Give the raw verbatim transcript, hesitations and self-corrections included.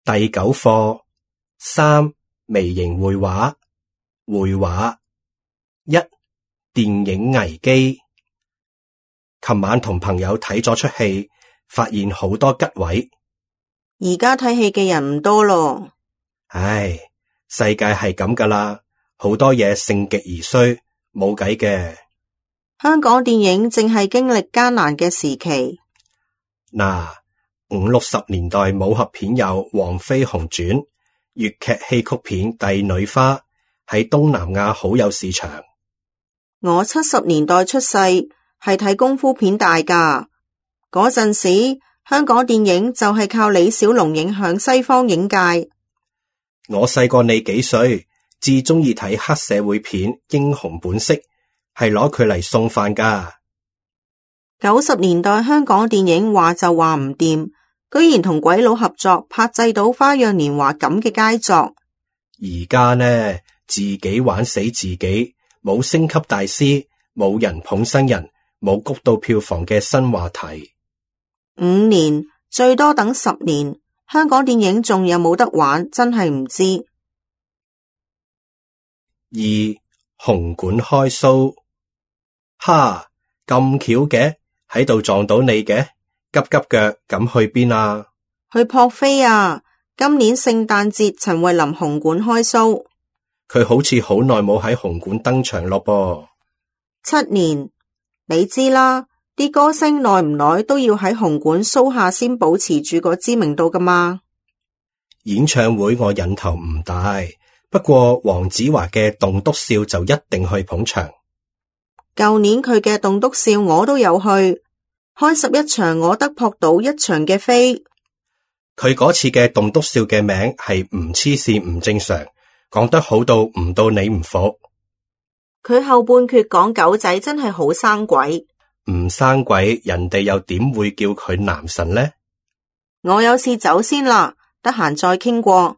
第九課三微型繪畫。繪畫一電影危機。琴晚同朋友睇咗出戲，發現好多吉位。而家睇戲嘅人唔多咯。唉，世界係咁噶啦，好多嘢盛極而衰，冇計嘅。香港電影正係經歷艱難嘅時期。嗱，五六十年代武俠片有《黃飛鴻傳》，粵劇戲曲片《帝女花》喺東南亞好有市場。我七十年代出世，係睇功夫片大噶。嗰陣時，香港電影就係靠李小龍影響西方影界。我細過你幾歲，至中意睇黑社會片《英雄本色》，係攞佢嚟送飯噶。九十年代香港電影話就話唔掂，居然同鬼佬合作拍製到《花樣年華》咁嘅佳作。而家呢，自己玩死自己，冇升級大師，冇人捧新人，冇谷到票房嘅新話題。五年最多等十年，香港電影仲有冇得玩，真係唔知。二紅館開 show， 哈咁巧嘅，喺度撞到你嘅，急急腳咁去邊啊？去撲飛啊！今年聖誕節陳慧琳紅館開 show， 佢好似好耐冇喺紅館登場咯噃。七年，你知啦，啲歌星耐唔耐都要喺紅館 show 下先保持住個知名度噶嘛。演唱會我癮頭唔大，不過黃子華嘅棟篤笑就一定去捧場。舊年佢嘅棟篤笑我都有去，開十一場我得撲到一場嘅飛。佢嗰次嘅棟篤笑嘅名係唔黐線唔正常，講得好到唔到你唔服。佢後半闕講狗仔真係好生鬼，唔生鬼人哋又點會叫佢男神呢？我有事走先啦，得閒再傾過。